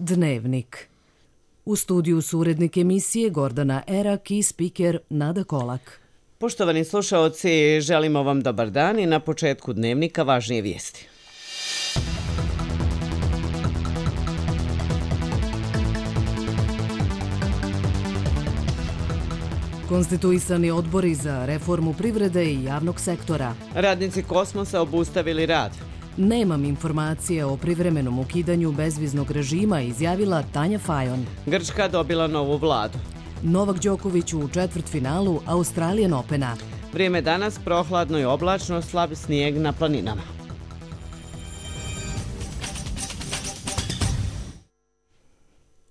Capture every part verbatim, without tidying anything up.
Dnevnik. U studiju su urednik emisije Gordana Erak i spiker Nada Kolak. Poštovani slušaoci, želimo vam dobar dan i na početku Dnevnika važnije vijesti. Konstituisani odbori za reformu privrede i javnog sektora. Radnici Kosmosa obustavili rad. Nemam informacije o privremenom ukidanju bezviznog režima, izjavila Tanja Fajon. Grčka dobila novu vladu. Novak Đoković u četvrtfinalu Australian Opena. Vrijeme danas prohladno i oblačno, slab snijeg na planinama.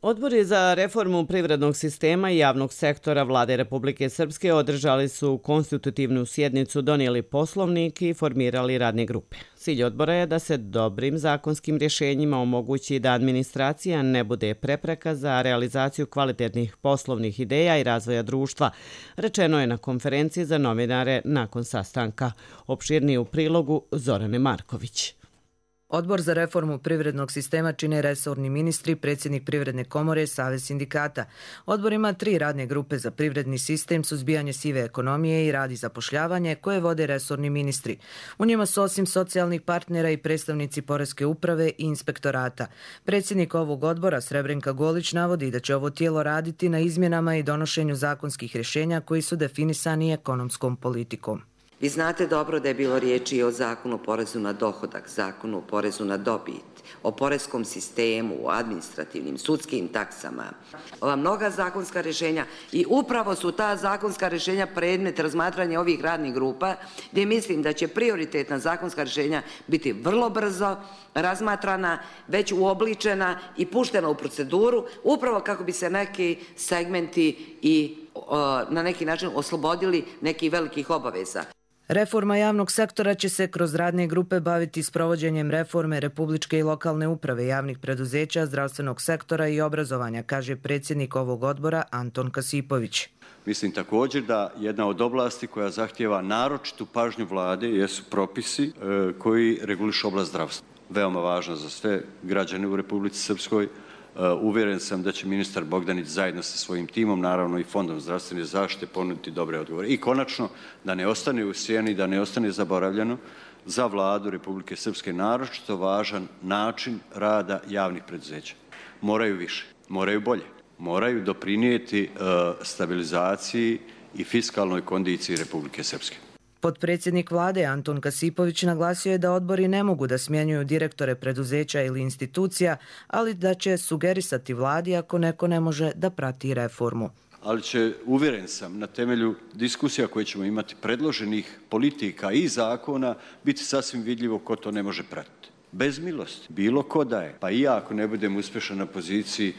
Odbori za reformu privrednog sistema i javnog sektora Vlade Republike Srpske održali su konstitutivnu sjednicu, donijeli poslovnik i formirali radne grupe. Cilj odbora je da se dobrim zakonskim rješenjima omogući da administracija ne bude prepreka za realizaciju kvalitetnih poslovnih ideja i razvoja društva, rečeno je na konferenciji za novinare nakon sastanka. Opširnije u prilogu Zorane Marković. Odbor za reformu privrednog sistema čine resorni ministri, predsjednik Privredne komore, Savez sindikata. Odbor ima tri radne grupe za privredni sistem, suzbijanje sive ekonomije i rad i zapošljavanje, koje vode resorni ministri. U njima su osim socijalnih partnera i predstavnici Poreske uprave i inspektorata. Predsjednik ovog odbora, Srebrenka Golić, navodi da će ovo tijelo raditi na izmjenama i donošenju zakonskih rješenja koji su definisani ekonomskom politikom. Vi znate dobro da je bilo riječi o zakonu o porezu na dohodak, zakonu o porezu na dobit, o poreskom sistemu, o administrativnim, sudskim taksama. Ova mnoga zakonska rješenja i upravo su ta zakonska rješenja predmet razmatranja ovih radnih grupa, gdje mislim da će prioritetna zakonska rješenja biti vrlo brzo razmatrana, već uobličena i puštena u proceduru, upravo kako bi se neki segmenti i na neki način oslobodili nekih velikih obaveza. Reforma javnog sektora će se kroz radne grupe baviti sprovođenjem reforme republičke i lokalne uprave, javnih preduzeća, zdravstvenog sektora i obrazovanja, kaže predsjednik ovog odbora Anton Kasipović. Mislim također da jedna od oblasti koja zahtijeva naročitu pažnju vlade jesu propisi koji regulišu oblast zdravstva. Veoma važno za sve građane u Republici Srpskoj. Uvjeren sam da će ministar Bogdanić zajedno sa svojim timom, naravno i Fondom zdravstvene zaštite, ponuditi dobre odgovore. I konačno, da ne ostane u sjeni, da ne ostane zaboravljeno, za vladu Republike Srpske naročito važan način rada javnih preduzeća. Moraju više, moraju bolje, moraju doprinijeti stabilizaciji i fiskalnoj kondiciji Republike Srpske. Potpredsjednik vlade Anton Kasipović naglasio je da odbori ne mogu da smjenjuju direktore preduzeća ili institucija, ali da će sugerisati vladi ako neko ne može da prati reformu. Ali će, uvjeren sam, na temelju diskusija koje ćemo imati predloženih politika i zakona, biti sasvim vidljivo ko to ne može pratiti. Bez milosti. Bilo ko da je. Pa i ja ako ne budem uspješan na poziciji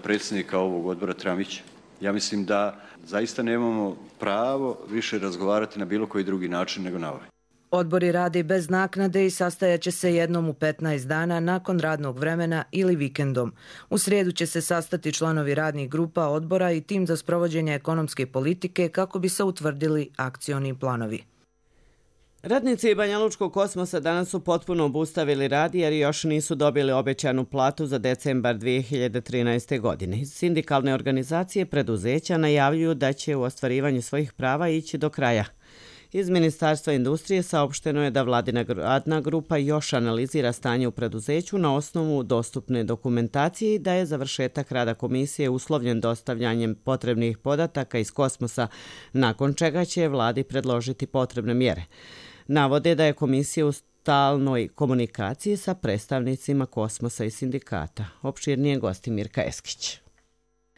predsjednika ovog odbora Tramića. Ja mislim da zaista nemamo pravo više razgovarati na bilo koji drugi način nego na ovaj. Odbori rade bez naknade i sastajaće se jednom u petnaest dana nakon radnog vremena ili vikendom. U srijedu će se sastati članovi radnih grupa odbora i tim za sprovođenje ekonomske politike kako bi se utvrdili akcioni planovi. Radnici Banjalučkog Kosmosa danas su potpuno obustavili rad jer još nisu dobili obećanu platu za decembar dvije hiljade trinaeste. godine. Sindikalne organizacije preduzeća najavljuju da će u ostvarivanju svojih prava ići do kraja. Iz Ministarstva industrije saopšteno je da vladina radna grupa još analizira stanje u preduzeću na osnovu dostupne dokumentacije i da je završetak rada komisije uslovljen dostavljanjem potrebnih podataka iz Kosmosa, nakon čega će vladi predložiti potrebne mjere. Navode da je komisija u stalnoj komunikaciji sa predstavnicima Kosmosa i sindikata. Opširnije gosti Mirka Eskić.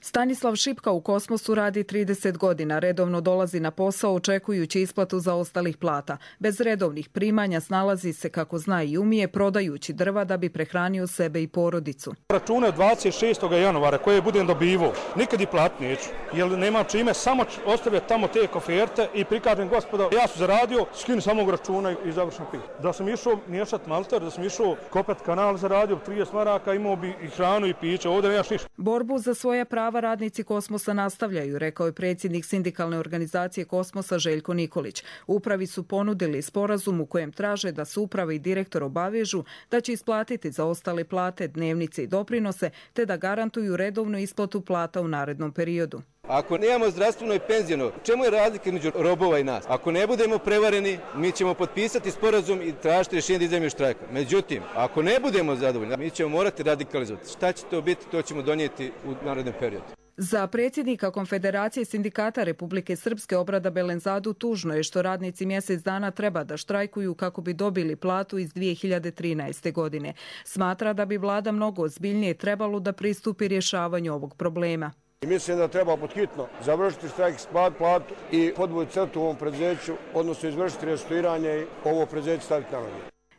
Stanislav Šipka u Kosmosu radi trideset godina, redovno dolazi na posao očekujući isplatu zaostalih plata. Bez redovnih primanja snalazi se kako zna i umije, prodajući drva da bi prehranio sebe i porodicu. Račune od dvadeset šestog januara koje budem dobivao, nikad i plat neću, jer nemam čime, samo ostavljati tamo te koferte i prikažem gospoda, ja sam zaradio, skinu samog računa i završim pit. Da sam išao miješati malter, da sam išao kopati kanal, zaradio trideset maraka, imao bi i hranu i piće, ovdje nemaš ništa. Borbu za svoja prava prava radnici Kosmosa nastavljaju, rekao je predsjednik sindikalne organizacije Kosmosa Željko Nikolić. Upravi su ponudili sporazum u kojem traže da se uprava i direktor obavežu da će isplatiti zaostale plate, dnevnice i doprinose, te da garantuju redovnu isplatu plata u narednom periodu. Ako nemamo zdravstveno i penziono, čemu je razlika između robova i nas? Ako ne budemo prevareni, mi ćemo potpisati sporazum i tražiti rješenje da izađemo iz štrajka. Međutim, ako ne budemo zadovoljni, mi ćemo morati radikalizovati. Šta će to biti, to ćemo donijeti u narednom periodu. Za predsjednika Konfederacije sindikata Republike Srpske Obrada Belenzadu tužno je što radnici mjesec dana treba da štrajkuju kako bi dobili platu iz dvije hiljade trinaeste. godine. Smatra da bi vlada mnogo ozbiljnije trebalo da pristupi rješavanju ovog problema. Mislim da treba podhitno završiti štrajk, isplatiti platu i podvući crtu u ovom preduzeću, odnosno izvršiti restrukturiranje i ovo preduzeće staviti na noge.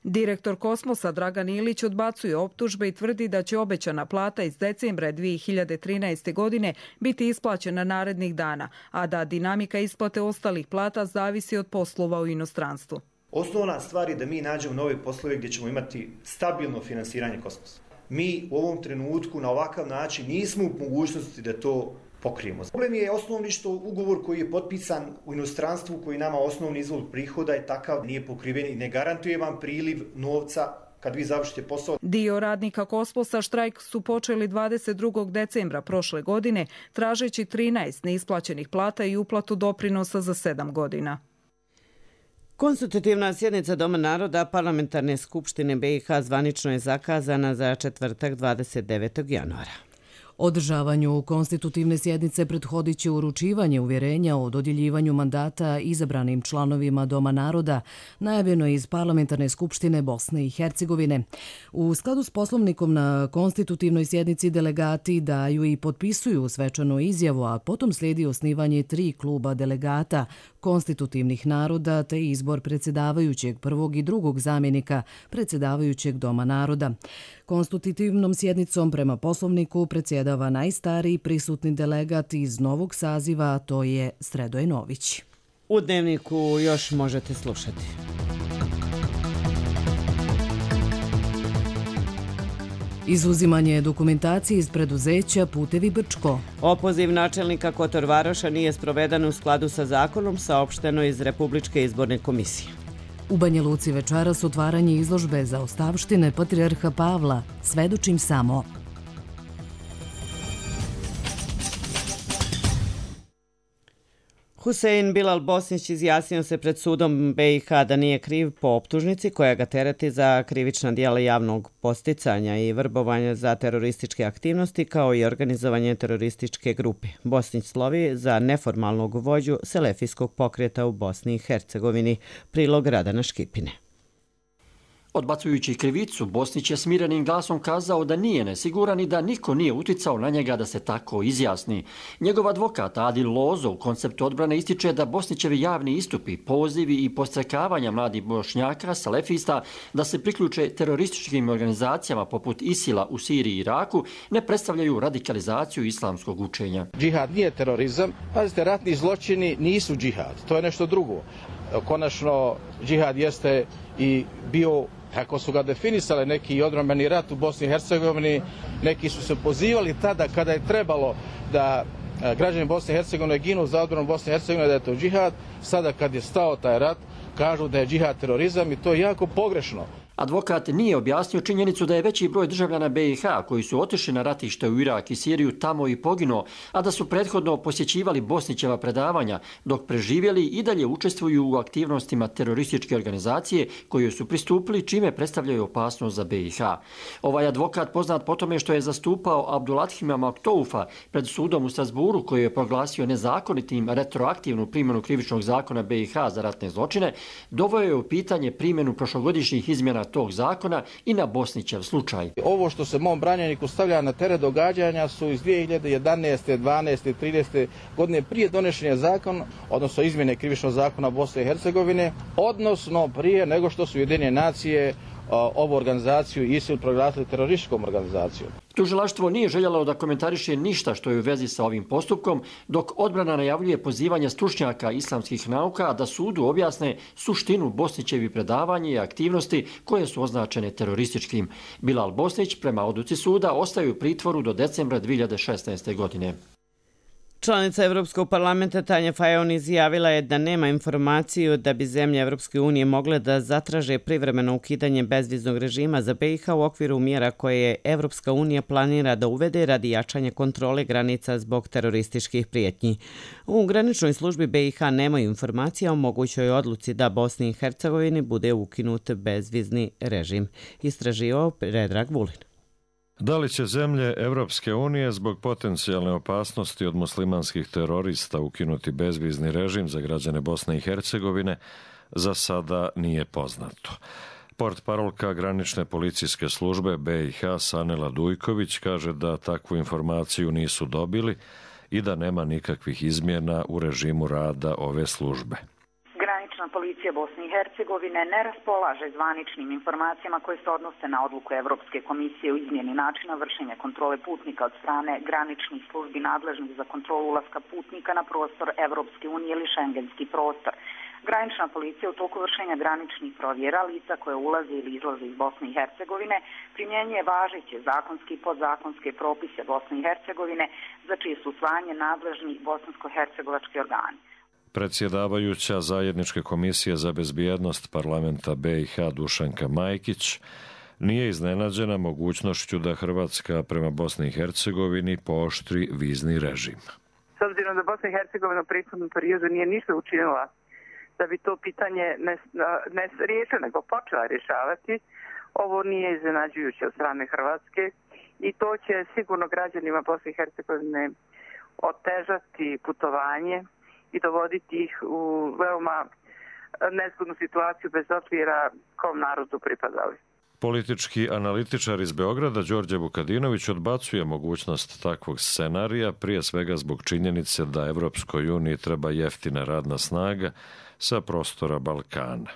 Direktor Kosmosa Dragan Ilić odbacuje optužbe i tvrdi da će obećana plata iz decembra dvije hiljade trinaeste. godine biti isplaćena narednih dana, a da dinamika isplate ostalih plata zavisi od poslova u inostranstvu. Osnovna stvar je da mi nađemo nove poslove gdje ćemo imati stabilno finansiranje Kosmosa. Mi u ovom trenutku na ovakav način nismo u mogućnosti da to pokrijemo. Problem je osnovni što ugovor koji je potpisan u inostranstvu, koji nama osnovni izvor prihoda je takav, nije pokriven i ne garantuje vam priliv novca kad vi završite posao. Dio radnika Kosmosa štrajk su počeli dvadeset drugog decembra prošle godine, tražeći trinaest neisplaćenih plata i uplatu doprinosa za sedam godina. Konstitutivna sjednica Doma naroda Parlamentarne skupštine B i H zvanično je zakazana za četvrtak dvadeset devetog januara. Održavanju konstitutivne sjednice prethodit će uručivanje uvjerenja o dodjeljivanju mandata izabranim članovima Doma naroda, najavljeno iz Parlamentarne skupštine Bosne i Hercegovine. U skladu s poslovnikom na konstitutivnoj sjednici delegati daju i potpisuju svečanu izjavu, a potom slijedi osnivanje tri kluba delegata konstitutivnih naroda te izbor predsjedavajućeg prvog i drugog zamjenika predsjedavajućeg Doma naroda. Konstitutivnom sjednicom prema poslovniku predsjedava najstariji prisutni delegat iz novog saziva, a to je Sredoj Nović. U Dnevniku još možete slušati. Izuzimanje dokumentacije iz preduzeća Putevi Brčko. Opoziv načelnika Kotor Varoša nije sproveden u skladu sa zakonom, saopšteno iz Republičke izborne komisije. U Banja Luci večeras otvaranje izložbe za ostavštine Patrijarha Pavla. Svedočim samo. Husein Bilal Bosnić izjasnio se pred sudom B i H da nije kriv po optužnici koja ga tereti za krivična djela javnog posticanja i vrbovanja za terorističke aktivnosti kao i organizovanje terorističke grupe. Bosnić slovi za neformalnog vođu selefijskog pokreta u Bosni i Hercegovini. Prilog Radana Škipine. Odbacujući krivicu, Bosnić je smirenim glasom kazao da nije nesiguran i da niko nije uticao na njega da se tako izjasni. Njegov advokat Adil Lozo u konceptu odbrane ističe da Bosnićevi javni istupi, pozivi i postrekavanja mladih Bošnjaka, salefista, da se priključe terorističkim organizacijama poput Isila u Siriji i Iraku ne predstavljaju radikalizaciju islamskog učenja. Džihad nije terorizam. Pazite, ratni zločini nisu džihad. To je nešto drugo. Konačno, džihad jeste i bio, kako su ga definisali, neki odbrambeni rat u Bosni i Hercegovini, neki su se pozivali tada kada je trebalo da građani Bosne i Hercegovine ginu za odbranu Bosne i Hercegovine, da je to džihad. Sada kad je stao taj rat, kažu da je džihad terorizam i to je jako pogrešno. Advokat nije objasnio činjenicu da je veći broj državljana B i H koji su otišli na ratište u Irak i Siriju tamo i poginuo, a da su prethodno posjećivali Bosnićeva predavanja, dok preživjeli i dalje učestvuju u aktivnostima terorističke organizacije koje su pristupili, čime predstavljaju opasnost za B i H. Ovaj advokat poznat po tome što je zastupao Abdulathima Maktoufa pred sudom u Strasburu koji je proglasio nezakonitim retroaktivnu primjenu krivičnog zakona B i H za ratne zločine, doveo je u pitanje primjenu prošlogodišnjih izmjena tog zakona i na Bosnićev slučaj. Ovo što se mom branjeniku stavlja na teret događanja su iz dvije hiljade jedanaeste, dvanaeste, trinaeste godine prije donošenja zakona, odnosno izmjene krivičnog zakona Bosne i Hercegovine, odnosno prije nego što su Ujedinjene nacije ovu organizaciju ISIL proglasili terorističkom organizacijom. Tužilaštvo nije željelo da komentariše ništa što je u vezi sa ovim postupkom, dok odbrana najavljuje pozivanje stručnjaka islamskih nauka da sudu objasne suštinu Bosnićevi predavanja i aktivnosti koje su označene terorističkim. Bilal Bosnić prema odluci suda ostaju u pritvoru do decembra dvije hiljade šesnaeste. godine. Članica Evropskog parlamenta Tanja Fajon izjavila je da nema informaciju da bi zemlje Evropske unije mogle da zatraže privremeno ukidanje bezviznog režima za B i H u okviru mjera koje je Evropska unija planira da uvede radi jačanja kontrole granica zbog terorističkih prijetnji. U graničnoj službi B i H nemaju informacija o mogućoj odluci da Bosni i Hercegovini bude ukinut bezvizni režim. Istraživao Predrag Vulin. Da li će zemlje Evropske unije zbog potencijalne opasnosti od muslimanskih terorista ukinuti bezvizni režim za građane Bosne i Hercegovine, za sada nije poznato. Portparolka granične policijske službe B i H Sanela Dujković kaže da takvu informaciju nisu dobili i da nema nikakvih izmjena u režimu rada ove službe. Granična policija Bosne i Hercegovine ne raspolaže zvaničnim informacijama koje se odnose na odluku Evropske komisije o izmjeni načina vršenja kontrole putnika od strane graničnih službi nadležnih za kontrolu ulaska putnika na prostor Evropske unije ili šengenski prostor. Granična policija u toku vršenja graničnih provjera lica koje ulaze ili izlaze iz Bosne i Hercegovine primjenjuje važeće zakonske i podzakonske propise Bosne i Hercegovine za čije su usvajanje nadležnih bosansko-hercegovački organi. Predsjedavajuća Zajedničke komisije za bezbjednost parlamenta B i H Dušanka Majkić nije iznenađena mogućnošću da Hrvatska prema Bosni i Hercegovini pooštri vizni režim. S obzirom da Bosna i Hercegovina u prethodnom periodu nije ništa učinila da bi to pitanje ne, ne riješila, nego počela rješavati, ovo nije iznenađujuće od strane Hrvatske i to će sigurno građanima Bosne i Hercegovine otežati putovanje i dovoditi ih u veoma nezgodnu situaciju bez obzira kom narodu pripadali. Politički analitičar iz Beograda Đorđe Vukadinović odbacuje mogućnost takvog scenarija, prije svega zbog činjenice da Evropskoj uniji treba jeftina radna snaga sa prostora Balkana.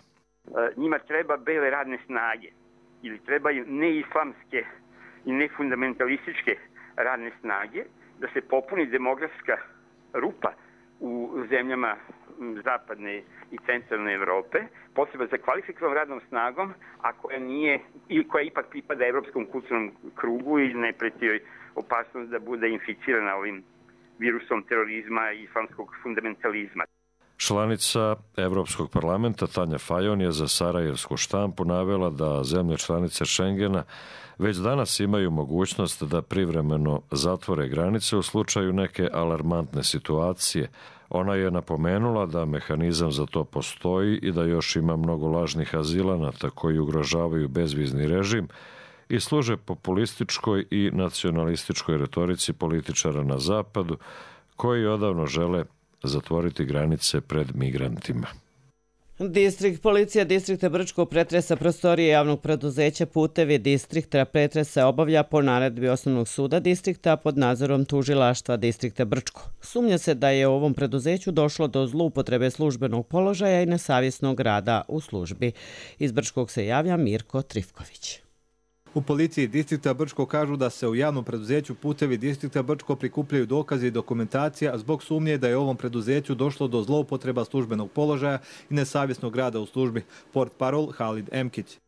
Njima treba bele radne snage ili trebaju neislamske i nefundamentalističke radne snage da se popuni demografska rupa u zemljama zapadne i centralne Evrope, potreba za kvalifikovanom radnom snagom, a koja nije ili koja ipak pripada evropskom kulturnom krugu i ne preti joj opasnost da bude inficirana ovim virusom terorizma i islamskog fundamentalizma. Članica Evropskog parlamenta Tanja Fajon je za sarajevsku štampu navela da zemlje članice Schengena već danas imaju mogućnost da privremeno zatvore granice u slučaju neke alarmantne situacije. Ona je napomenula da mehanizam za to postoji i da još ima mnogo lažnih azilanata koji ugrožavaju bezvizni režim i služe populističkoj i nacionalističkoj retorici političara na zapadu koji odavno žele zatvoriti granice pred migrantima. Distrikt policija distrikta Brčko pretresa prostorije javnog preduzeća Putevi distrikta pretresa obavlja po naredbi Osnovnog suda distrikta pod nadzorom tužilaštva distrikta Brčko. Sumnja se da je u ovom preduzeću došlo do zloupotrebe službenog položaja i nesavjesnog rada u službi. Iz Brčkog se javlja Mirko Trifković. U policiji distrikta Brčko kažu da se u javnom preduzeću Putevi distrikta Brčko prikupljaju dokazi i dokumentacija zbog sumnje da je u ovom preduzeću došlo do zloupotreba službenog položaja i nesavjesnog rada u službi. Portparol Halid Emkić.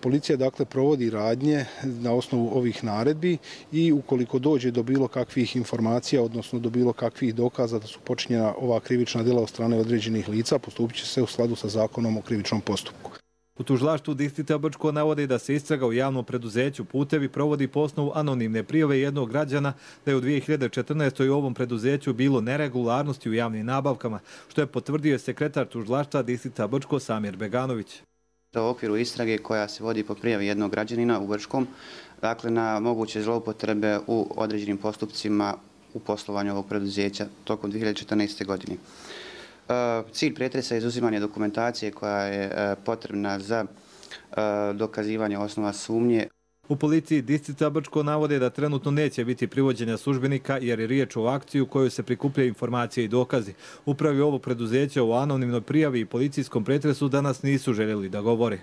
Policija dakle provodi radnje na osnovu ovih naredbi i ukoliko dođe do bilo kakvih informacija, odnosno do bilo kakvih dokaza da su počinjena ova krivična djela od strane određenih lica, postupit će se u skladu sa zakonom o krivičnom postupku. U tužilaštvu distrikta Brčko navode da se istraga u javnom preduzeću Putevi provodi po osnovu anonimne prijave jednog građana da je u dvije hiljade četrnaestoj u ovom preduzeću bilo neregularnosti u javnim nabavkama, što je potvrdio sekretar tužilaštva distrikta Brčko Samir Beganović. U okviru istrage koja se vodi po prijavi jednog građanina u Brčkom, dakle na moguće zloupotrebe u određenim postupcima u poslovanju ovog preduzeća tokom dvije hiljade četrnaeste. godine. Cilj pretresa je izuzimanje dokumentacije koja je potrebna za dokazivanje osnova sumnje. U policiji distrikta Brčko navode da trenutno neće biti privođenja službenika jer je riječ o akciji u kojoj se prikupljaju informacije i dokazi. Upravi ovog preduzeća u anonimnoj prijavi i policijskom pretresu danas nisu željeli da govore.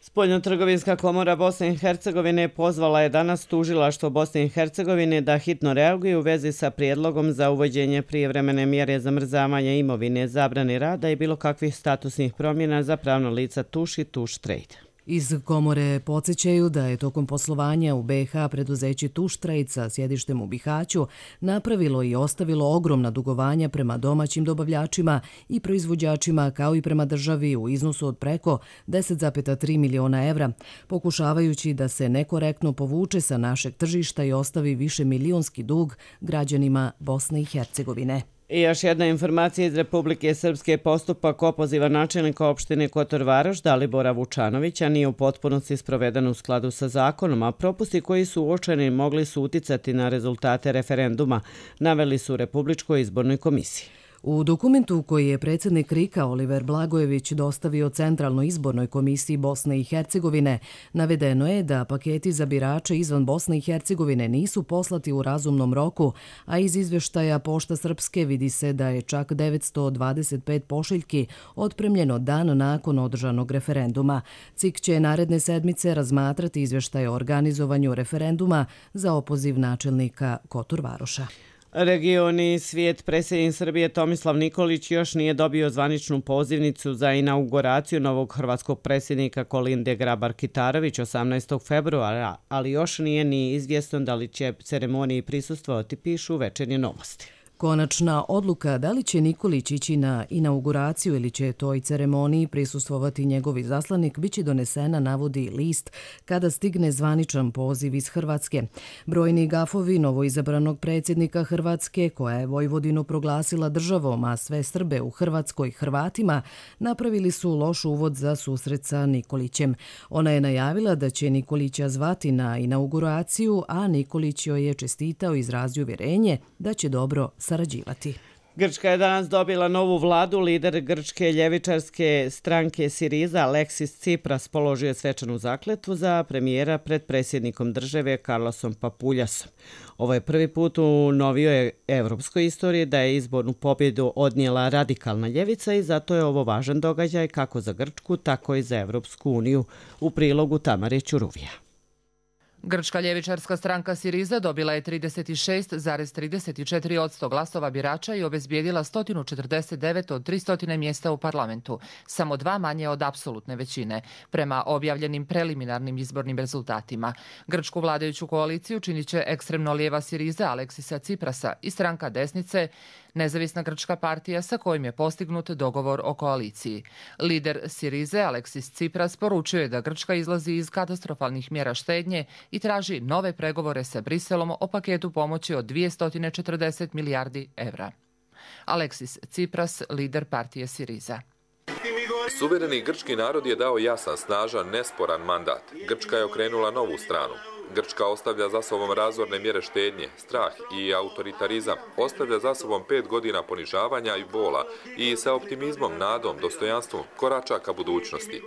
Spoljnotrgovinska komora Bosne i Hercegovine pozvala je danas tužilaštvo Bosne i Hercegovine da hitno reaguje u vezi sa prijedlogom za uvođenje prijevremene mjere zamrzavanja imovine, zabrane rada i bilo kakvih statusnih promjena za pravno lica Tuš i Tuš Trade. Iz komore podsjećaju da je tokom poslovanja u B i H preduzeće Tuštrajc sa sjedištem u Bihaću napravilo i ostavilo ogromna dugovanja prema domaćim dobavljačima i proizvođačima kao i prema državi u iznosu od preko deset zarez tri miliona evra, pokušavajući da se nekorektno povuče sa našeg tržišta i ostavi više milionski dug građanima Bosne i Hercegovine. I još jedna informacija iz Republike Srpske. Postupak opoziva načelnika opštine Kotor Varoš Dalibora Vučanovića nije u potpunosti sproveden u skladu sa zakonom, a propusti koji su uočeni mogli su uticati na rezultate referenduma, naveli su u Republičkoj izbornoj komisiji. U dokumentu koji je predsjednik R I K-a Oliver Blagojević dostavio Centralnoj izbornoj komisiji Bosne i Hercegovine, navedeno je da paketi za birače izvan Bosne i Hercegovine nisu poslati u razumnom roku, a iz izvještaja Pošta Srpske vidi se da je čak devetsto dvadeset pet pošiljki otpremljeno dan nakon održanog referenduma. C I K će naredne sedmice razmatrati izvještaj o organizovanju referenduma za opoziv načelnika Kotor Varoša. Regioni svijet. Predsjednik Srbije Tomislav Nikolić još nije dobio zvaničnu pozivnicu za inauguraciju novog hrvatskog predsjednika Kolinde Grabar-Kitarović osamnaestog februara, ali još nije ni izvjesno da li će ceremoniji prisustvovati, pišu Večernje novosti. Konačna odluka da li će Nikolić ići na inauguraciju ili će toj ceremoniji prisustvovati njegovi zaslanik biće donesena, navodi list, kada stigne zvaničan poziv iz Hrvatske. Brojni gafovi novoizabranog predsjednika Hrvatske, koja je Vojvodinu proglasila državom, a sve Srbe u Hrvatskoj Hrvatima, napravili su loš uvod za susret sa Nikolićem. Ona je najavila da će Nikolića zvati na inauguraciju, a Nikolić joj je čestitao i izrazio uvjerenje da će dobro sarađivati. Grčka je danas dobila novu vladu. Lider grčke ljevičarske stranke Siriza Aleksis Tsipras položio je svečanu zakletvu za premijera pred predsjednikom države Karlosom Papuljasom. Ovo je prvi put u novijoj evropskoj istoriji da je izbornu pobjedu odnijela radikalna ljevica i zato je ovo važan događaj kako za Grčku, tako i za Evropsku uniju. U prilogu Tamare Ćuruvija. Grčka ljevičarska stranka Siriza dobila je trideset šest zarez trideset četiri posto glasova birača i obezbijedila sto četrdeset devet od tristo mjesta u parlamentu, samo dva manje od apsolutne većine, prema objavljenim preliminarnim izbornim rezultatima. Grčku vladajuću koaliciju činit će ekstremno lijeva Siriza Aleksisa Tsiprasa i stranka desnice Nezavisna grčka partija sa kojim je postignut dogovor o koaliciji. Lider Sirize Aleksis Tsipras poručio je da Grčka izlazi iz katastrofalnih mjera štednje i traži nove pregovore sa Briselom o paketu pomoći od dvjesto četrdeset milijardi evra. Aleksis Tsipras, lider partije Siriza. Suvereni grčki narod je dao jasan, snažan, nesporan mandat. Grčka je okrenula novu stranu. Grčka ostavlja za sobom razorne mjere štednje, strah i autoritarizam. Ostavlja za sobom pet godina ponižavanja i bola i sa optimizmom, nadom, dostojanstvom korača ka budućnosti.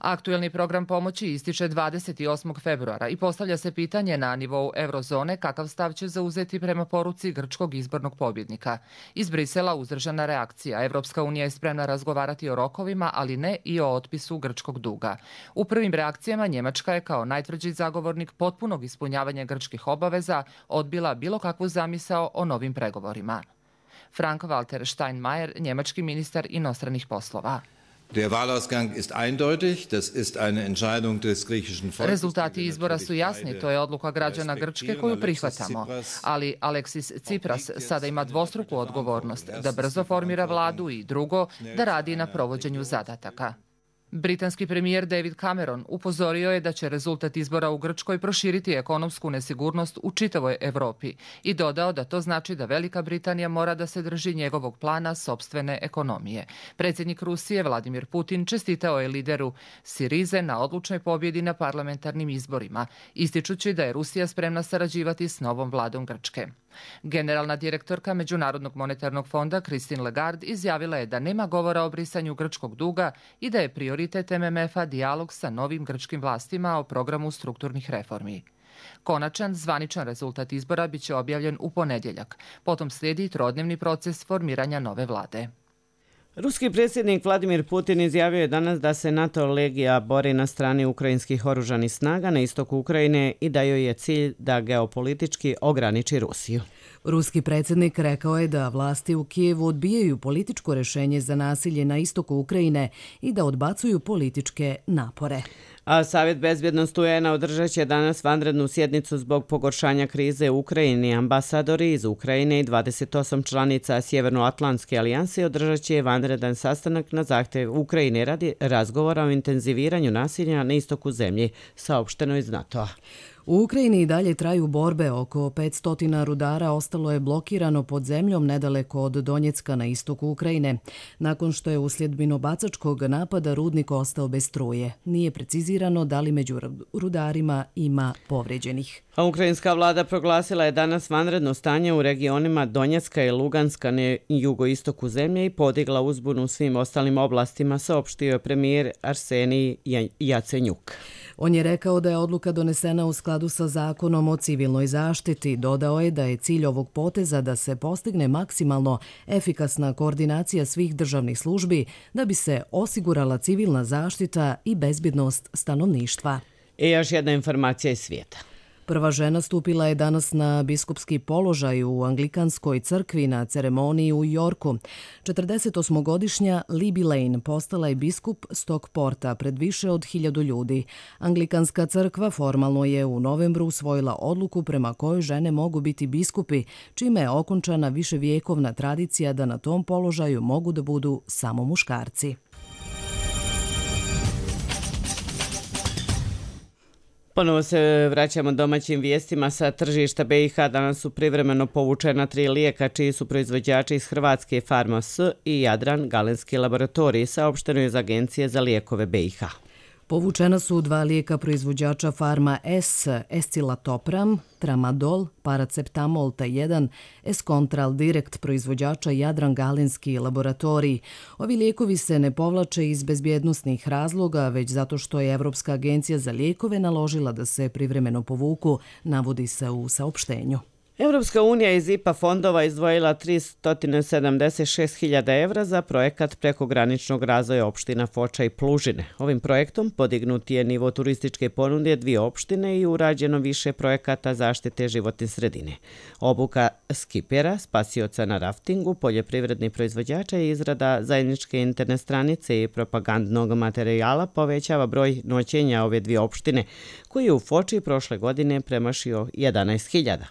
Aktuelni program pomoći ističe dvadeset osmog februara i postavlja se pitanje na nivou eurozone kakav stav će zauzeti prema poruci grčkog izbornog pobjednika. Iz Brisela uzdržana reakcija. Evropska unija je spremna razgovarati o rokovima, ali ne i o otpisu grčkog duga. U prvim reakcijama Njemačka je kao najtvrđi zagovornik potpunog ispunjavanja grčkih obaveza odbila bilo kakvu zamisao o novim pregovorima. Frank-Walter Steinmeier, njemački ministar inostranih poslova. Der Wahlausgang ist eindeutig, das ist eine Entscheidung des griechischen Volkes. Rezultati izbora su jasni, to je odluka građana Grčke koju prihvatamo, ali Aleksis Tsipras sada ima dvostruku odgovornost da brzo formira vladu i drugo, da radi na provođenju zadataka. Britanski premijer David Cameron upozorio je da će rezultat izbora u Grčkoj proširiti ekonomsku nesigurnost u čitavoj Evropi i dodao da to znači da Velika Britanija mora da se drži njegovog plana sopstvene ekonomije. Predsjednik Rusije Vladimir Putin čestitao je lideru Sirize na odlučnoj pobjedi na parlamentarnim izborima, ističući da je Rusija spremna sarađivati s novom vladom Grčke. Generalna direktorka Međunarodnog monetarnog fonda Christine Lagarde izjavila je da nema govora o brisanju grčkog duga i da je prioritet M M F-a dijalog sa novim grčkim vlastima o programu strukturnih reformi. Konačan zvaničan rezultat izbora biće objavljen u ponedjeljak. Potom slijedi trodnevni proces formiranja nove vlade. Ruski predsjednik Vladimir Putin izjavio je danas da se NATO legija bori na strani ukrajinskih oružanih snaga na istoku Ukrajine i da joj je cilj da geopolitički ograniči Rusiju. Ruski predsjednik rekao je da vlasti u Kijevu odbijaju političko rješenje za nasilje na istoku Ukrajine i da odbacuju političke napore. A Savjet bezbjednosti U N A održat će danas vanrednu sjednicu zbog pogoršanja krize u Ukrajini. Ambasadori iz Ukrajine i dvadeset osam članica Sjevernoatlantske alijanse održat će vanredan sastanak na zahtjev Ukrajine radi razgovora o intenziviranju nasilja na istoku zemlje, saopšteno iz NATO-a. U Ukrajini i dalje traju borbe. Oko petsto rudara ostalo je blokirano pod zemljom nedaleko od Donjecka na istoku Ukrajine, nakon što je uslijed minobacačkog napada rudnik ostao bez struje. Nije precizirano da li među rudarima ima povrijeđenih. A ukrajinska vlada proglasila je danas vanredno stanje u regionima Donjecka i Luganska na jugoistoku zemlje i podigla uzbunu u svim ostalim oblastima, saopštio je premijer Arsenij Jacenjuk. On je rekao da je odluka donesena u skladu sa zakonom o civilnoj zaštiti. Dodao je da je cilj ovog poteza da se postigne maksimalno efikasna koordinacija svih državnih službi da bi se osigurala civilna zaštita i bezbjednost stanovništva. I još jedna informacija iz svijeta. Prva žena stupila je danas na biskupski položaj u Anglikanskoj crkvi na ceremoniji u Yorku. četrdesetosmogodišnja Libby Lane postala je biskup Stockporta pred više od hiljadu ljudi. Anglikanska crkva formalno je u novembru usvojila odluku prema kojoj žene mogu biti biskupi, čime je okončana viševjekovna tradicija da na tom položaju mogu da budu samo muškarci. Ponovo se vraćamo domaćim vijestima sa tržišta B i H. Danas su privremeno povučena tri lijeka čiji su proizvođači iz Hrvatske Farma S i Jadran Galenski laboratorij, saopšteno je iz Agencije za lijekove B i H. Povučena su dva lijeka proizvođača Farma S, Escilatopram, Tramadol, Paraceptamol T jedan, Escontral Direct proizvođača Jadran Galenski laboratorij. Ovi lijekovi se ne povlače iz bezbjednosnih razloga, već zato što je Evropska agencija za lijekove naložila da se privremeno povuku, navodi se u saopštenju. Evropska unija iz I P A fondova izdvojila tristo sedamdeset šest hiljada evra za projekat prekograničnog razvoja opština Foča i Plužine. Ovim projektom podignut je nivo turističke ponude dvije opštine i urađeno više projekata zaštite životne sredine. Obuka skipera, spasioca na raftingu, poljoprivrednih proizvođača i izrada zajedničke internet stranice i propagandnog materijala povećava broj noćenja ove dvije opštine, koji je u Foči prošle godine premašio jedanaest hiljada.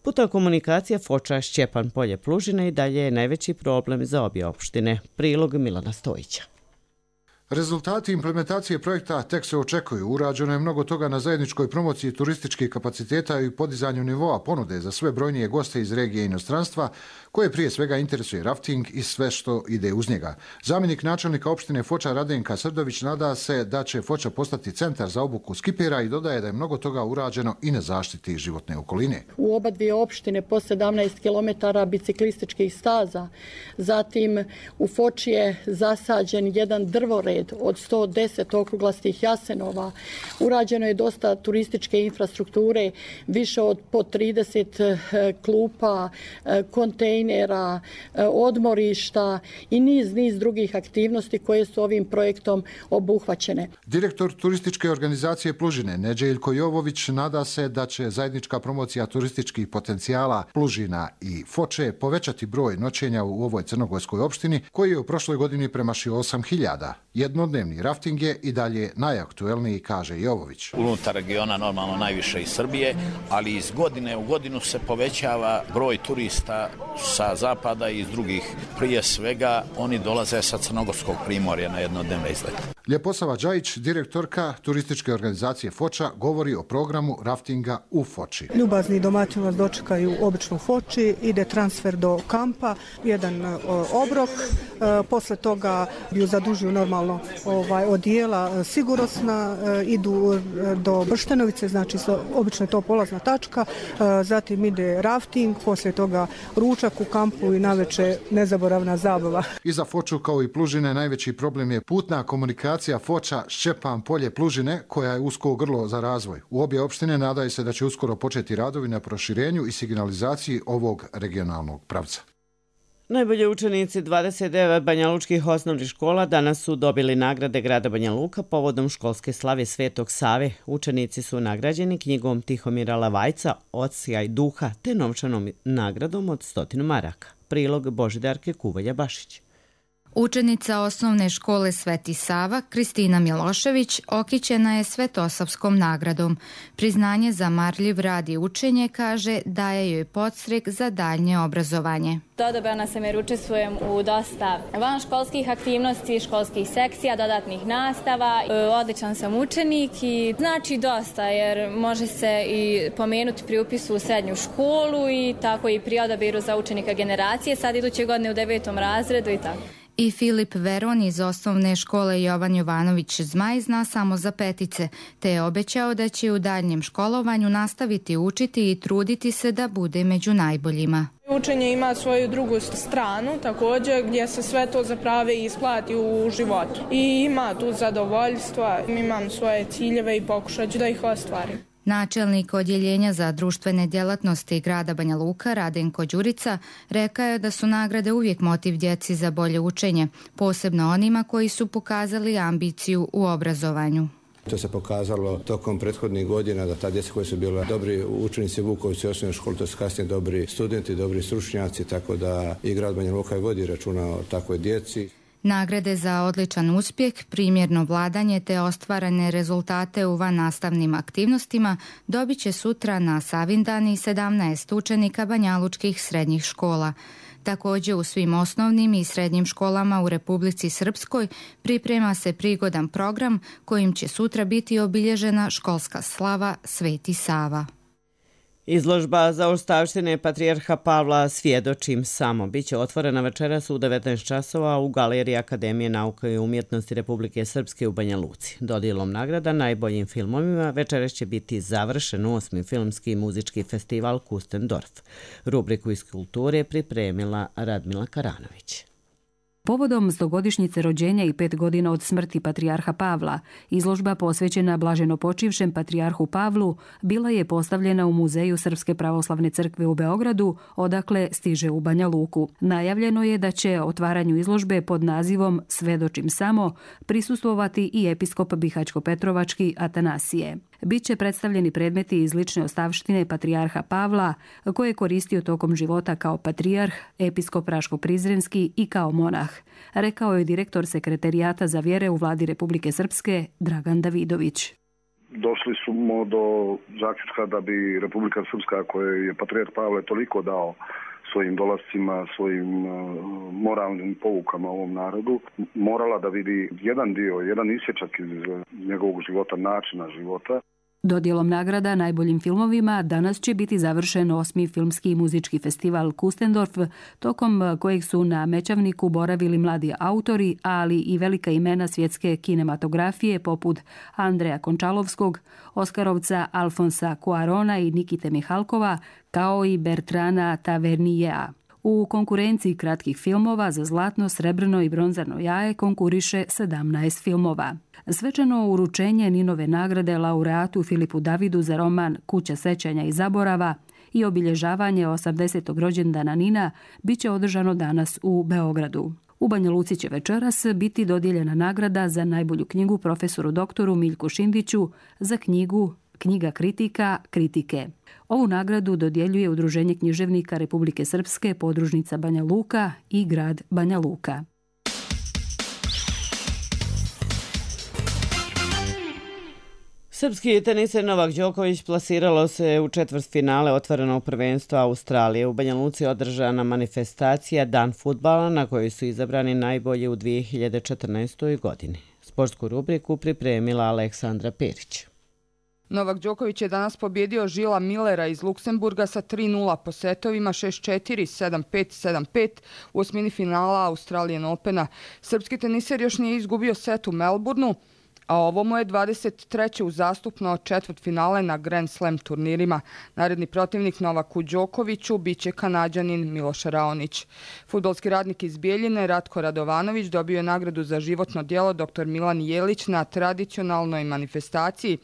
Puta komunikacija Foča Šćepan Polje Plužine i dalje je najveći problem za obje opštine. Prilog Milana Stojića. Rezultati implementacije projekta tek se očekuju. Urađeno je mnogo toga na zajedničkoj promociji turističkih kapaciteta i podizanju nivoa ponude za sve brojnije goste iz regije i inostranstva, koje prije svega interesuje rafting i sve što ide uz njega. Zamjenik načelnika opštine Foča Radenka Srdović nada se da će Foča postati centar za obuku skipera i dodaje da je mnogo toga urađeno i na zaštiti životne okoline. U oba dvije opštine po sedamnaest kilometara biciklističkih staza. Zatim u Foči je zasađen jedan drvored od sto deset okruglastih jasenova. Urađeno je dosta turističke infrastrukture, više od po trideset klupa, kontejnera, odmorišta i niz, niz drugih aktivnosti koje su ovim projektom obuhvaćene. Direktor turističke organizacije Plužine, Neđeljko Jovović, nada se da će zajednička promocija turističkih potencijala Plužina i Foče povećati broj noćenja u ovoj crnogorskoj opštini, koji je u prošloj godini premašio osam hiljada. Jednodnevni rafting je i dalje najaktuelniji, kaže Jovović. Unutar regiona normalno najviše iz Srbije, ali iz godine u godinu se povećava broj turista sa zapada i iz drugih. Prije svega oni dolaze sa crnogorskog primorja na jednodnevne izlete. Ljeposava Đajić, direktorka turističke organizacije Foča, govori o programu raftinga u Foči. Ljubazni domaćini vas dočekaju obično u Foči, ide transfer do kampa, jedan obrok, posle toga ju zadužuju normalno ovaj, odijela sigurnosna, idu do Brštenovice, znači obično je to polazna tačka, zatim ide rafting, poslije toga ručak u kampu i naveče nezaboravna zabava. I za Foču kao i Plužine najveći problem je putna komunikacija Foča Šćepan Polje Plužine, koja je usko grlo za razvoj. U obje opštine nadaju se da će uskoro početi radovi na proširenju i signalizaciji ovog regionalnog pravca. Najbolji učenici dvadeset devet banjalučkih osnovnih škola danas su dobili nagrade grada Banja Luka povodom školske slave Svetog Save. Učenici su nagrađeni knjigom Tihomira Lavajca Odsjaj duha te novčanom nagradom od stotinu maraka. Prilog Božidarke Kuvalja-Bašić. Učenica osnovne škole Sveti Sava, Kristina Milošević, okićena je Svetosavskom nagradom. Priznanje za marljiv rad i učenje, kaže, daje joj podstrek za daljnje obrazovanje. Odabrana sam jer učestvujem u dosta vanškolskih aktivnosti, školskih sekcija, dodatnih nastava. Odličan sam učenik i znači dosta jer može se i pomenuti pri upisu u srednju školu i tako i pri odabiru za učenika generacije, sad iduće godine u devetom razredu i tako. I Filip Veron iz osnovne škole Jovan Jovanović Zmaj zna samo za petice, te je obećao da će u daljnjem školovanju nastaviti učiti i truditi se da bude među najboljima. Učenje ima svoju drugu stranu također gdje se sve to zapravo isplati u životu. I ima tu zadovoljstva, imam svoje ciljeve i pokušat ću da ih ostvarim. Načelnik odjeljenja za društvene djelatnosti grada Banja Luka, Radenko Đurica, rekao je da su nagrade uvijek motiv djeci za bolje učenje, posebno onima koji su pokazali ambiciju u obrazovanju. To se pokazalo tokom prethodnih godina da ta djeca koji su bila dobri učenici Vukovci osnovne škole, to su kasnije dobri studenti, dobri stručnjaci, tako da i grad Banja Luka vodi računa o takvoj djeci. Nagrade za odličan uspjeh, primjerno vladanje te ostvarene rezultate u vannastavnim aktivnostima dobit će sutra na Savindani sedamnaest učenika banjalučkih srednjih škola. Također u svim osnovnim i srednjim školama u Republici Srpskoj priprema se prigodan program kojim će sutra biti obilježena školska slava Sveti Sava. Izložba za ostavštine Patrijarha Pavla Svjedočim samo biće otvorena večeras u devetnaest časova u Galeriji Akademije nauke i umjetnosti Republike Srpske u Banja Luci. Dodjelom nagrada najboljim filmovima večeras će biti završen osmi filmski i muzički festival Kustendorf. Rubriku iz kulture pripremila Radmila Karanović. Povodom stogodišnjice rođenja i pet godina od smrti Patrijarha Pavla, izložba posvećena blaženo počivšem Patrijarhu Pavlu bila je postavljena u Muzeju Srpske pravoslavne crkve u Beogradu, odakle stiže u Banja Luku. Najavljeno je da će otvaranju izložbe pod nazivom Svedočim samo prisustvovati i episkop Bihaćko-Petrovački Atanasije. Biće predstavljeni predmeti iz lične ostavštine Patrijarha Pavla, koje je koristio tokom života kao patrijarh, episkop Raško-Prizrenski i kao monah, rekao je direktor Sekretarijata za vjere u vladi Republike Srpske Dragan Davidović. Došli smo do zaključka da bi Republika Srpska, kojoj je Patrijarh Pavle toliko dao svojim dolascima, svojim moralnim poukama ovom narodu, morala da vidi jedan dio, jedan isječak iz njegovog života, načina života. Dodjelom nagrada najboljim filmovima danas će biti završen osmi filmski i muzički festival Kustendorf, tokom kojeg su na Mećavniku boravili mladi autori, ali i velika imena svjetske kinematografije poput Andreja Končalovskog, Oskarovca Alfonsa Cuarona i Nikite Mihalkova, kao i Bertrana Tavernijea. U konkurenciji kratkih filmova za zlatno, srebrno i bronzano jaje konkuriše sedamnaest filmova. Svečano uručenje Ninove nagrade laureatu Filipu Davidu za roman Kuća sećanja i zaborava i obilježavanje osamdesetog rođendana Nina biće održano danas u Beogradu. U Banja Luci će večeras biti dodijeljena nagrada za najbolju knjigu profesoru doktoru Miljku Šindiću za knjigu Knjiga kritika, kritike. Ovu nagradu dodjeljuje Udruženje književnika Republike Srpske, podružnica Banja Luka i grad Banja Luka. Srpski teniser Novak Đoković plasiralo se u četvrtfinale otvorenog prvenstva Australije. U Banja Luci održana manifestacija Dan fudbala na kojoj su izabrani najbolji u dvije hiljade četrnaestoj. godini. Sportsku rubriku pripremila Aleksandra Perić. Novak Đoković je danas pobjedio Žila Millera iz Luksemburga sa tri nula po setovima šest četiri, sedam pet, sedam pet u osmini finala Australian Opena. Srpski teniser još nije izgubio set u Melbourneu, a ovo mu je dvadeset treće uzastupno četvrtfinale na Grand Slam turnirima. Naredni protivnik Novaku Đokoviću biće Kanađanin Miloš Raonić. Fudbalski radnik iz Bijeljine Ratko Radovanović dobio je nagradu za životno djelo dr Milan Jelić na tradicionalnoj manifestaciji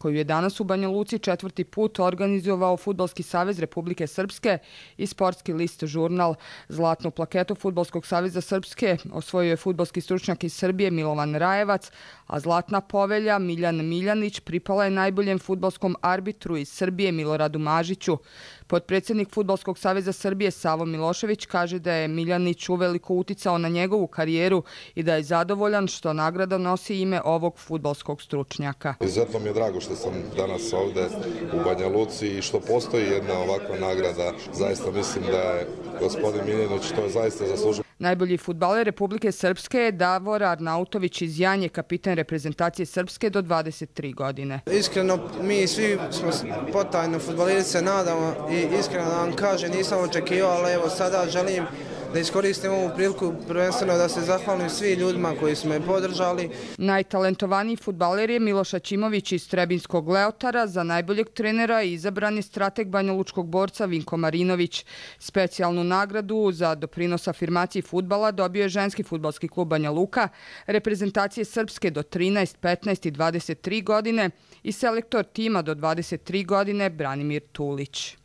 koju je danas u Banja Luci četvrti put organizovao Fudbalski savez Republike Srpske i sportski list žurnal. Zlatnu plaketu Fudbalskog saveza Srpske osvojio je fudbalski stručnjak iz Srbije Milovan Rajevac, a zlatna povelja Miljan Miljanić pripala je najboljem fudbalskom arbitru iz Srbije Miloradu Mažiću. Potpredsjednik Fudbalskog saveza Srbije Savo Milošević kaže da je Miljanić uveliko uticao na njegovu karijeru i da je zadovoljan što nagrada nosi ime ovog fudbalskog stručnjaka. Izuzetno mi je drago što sam danas ovde u Banja Luci i što postoji jedna ovakva nagrada. Zaista mislim da je gospodin Miljanić to je zaista zaslužio. Najbolji fudbaler Republike Srpske je Davor Arnautović iz Janje, kapiten reprezentacije Srpske do dvadeset tri godine. Iskreno, mi svi smo potajno fudbalerice se nadamo i iskreno da vam kažem, nisam očekivao, ali evo sada želim da iskoristim ovu priliku prvenstveno da se zahvalim svim ljudima koji su me podržali. Najtalentovaniji fudbaler je Miloš Aćimović iz Trebinskog Leotara. Za najboljeg trenera izabran je strateg banjalučkog borca Vinko Marinović. Specijalnu nagradu za doprinos afirmaciji fudbala dobio je ženski fudbalski klub Banja Luka, reprezentacije Srpske do trinaest, petnaest i dvadeset tri godine i selektor tima do dvadeset tri godine Branimir Tulić.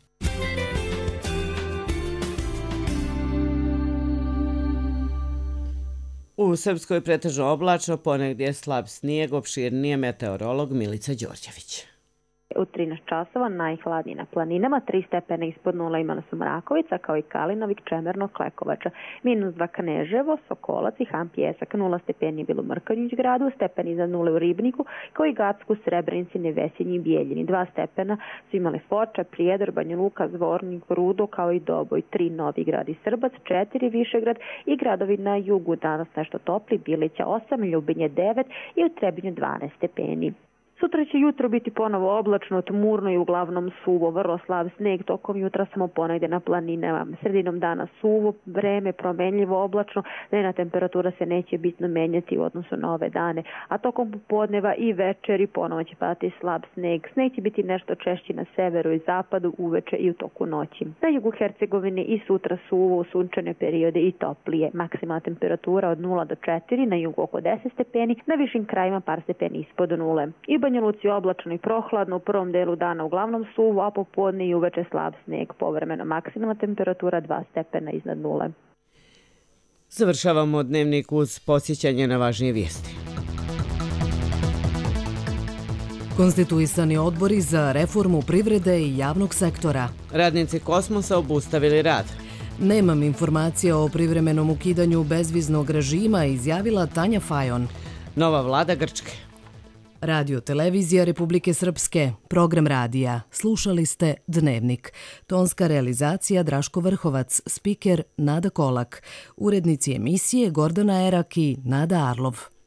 U Srpskoj pretežno oblačno, ponegdje slab snijeg, opširnije meteorolog Milica Đorđević. U trinaest časova najhladnije na planinama, tri stepena ispod nula imala su Mrakovica, kao i Kalinovik, Čemerno, Klekovača. Minus dva Kneževo, Sokolac i Han Pjesak, nula stepeni je bilo u Mrkonjić gradu, stepen iznad nule u Ribniku, kao i Gacku, Srebrenici, Nevesinji i Bijeljini. Dva stepena su imale Foča, Prijedor, Banja Luka, Zvornik, Rudo, kao i Doboj. Tri Novi Grad i Srbac, četiri Višegrad i gradovi na jugu. Danas nešto topli, Bilića osam, Ljubinje devet i u Trebinju dvanaest stepeni. Sutra će jutro biti ponovo oblačno, tmurno i uglavnom suvo, vrlo slab sneg tokom jutra samo ponegdje na planinama. Sredinom dana suvo, vreme promenljivo, oblačno, dnevna temperatura se neće bitno menjati u odnosu na ove dane, a tokom popodneva i večeri ponovo će padati slab sneg. Sneg će biti nešto češći na severu i zapadu, uveče i u toku noći. Na jugu Hercegovine i sutra suvo, u sunčane periode i toplije. Maksimalna temperatura od nula do četiri, na jugu oko deset stepeni, na višim krajima par stepeni ispod nule. I Banja Luci oblačno i prohladno, u prvom delu dana uglavnom suvo, a popodne i uveče slab sneg, povremeno maksimalna temperatura dva stepena iznad nule. Završavamo dnevnik uz podsjećanje na važnije vijesti. Konstituisani odbori za reformu privrede i javnog sektora. Radnici Kosmosa obustavili rad. Nemam informacija o privremenom ukidanju bezviznog režima, izjavila Tanja Fajon. Nova vlada Grčke. Radio Televizija Republike Srpske, program radija. Slušali ste Dnevnik. Tonska realizacija Draško Vrhovac, spiker Nada Kolak. Urednici emisije Gordana Erak i Nada Arlov.